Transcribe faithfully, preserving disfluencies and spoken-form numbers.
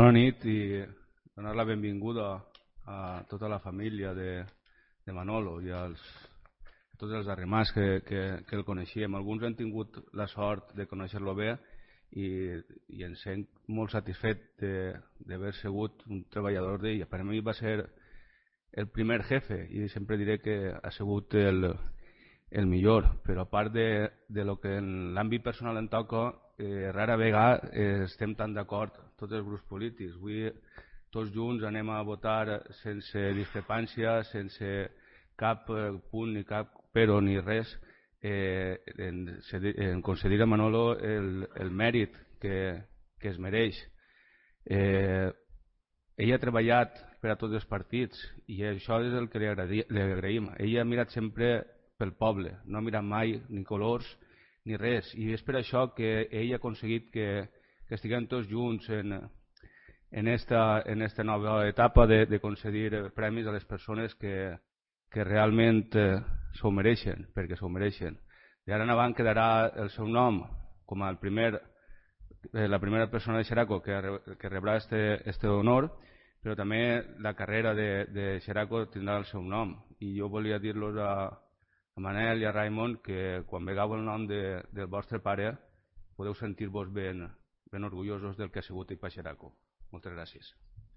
Bona nit i donar la benvinguda a tota la família de, de Manolo i als, a tots els arremars que, que, que el coneixíem. Alguns han tingut la sort de conèixer-lo bé i, i ens sent molt satisfet d'haver sigut un treballador d'ell. Per a mi va ser el primer jefe i sempre diré que ha sigut el, el millor, però a part de, de lo que en l'àmbit personal en toca, eh, rara vegada eh, estem tan d'acord tots els grups polítics. Avui tots junts anem a votar sense discrepància, sense cap eh, punt ni cap però ni res, eh, en, en concedir a Manolo el, el mèrit que, que es mereix. Eh, ell ha treballat per a tots els partits i això és el que li, agradi, li agraïm. Ell ha mirat sempre pel poble, no ha mirat mai ni colors ni res, i és per això que ell ha aconseguit que, que estiguem tots junts en, en, esta, en esta nova etapa de, de concedir premis a les persones que, que realment eh, s'ho mereixen, perquè s'ho mereixen. I ara en avant quedarà el seu nom com el primer, eh, la primera persona de Xeraco que, que rebrà este, este honor, però també la carrera de, de Xeraco tindrà el seu nom. I jo volia dir-los a, a Manel i a Raimon que quan vegeu el nom de, del vostre pare podeu sentir-vos ben, ben orgullosos del que ha sigut ell per Xeraco. Moltes gràcies.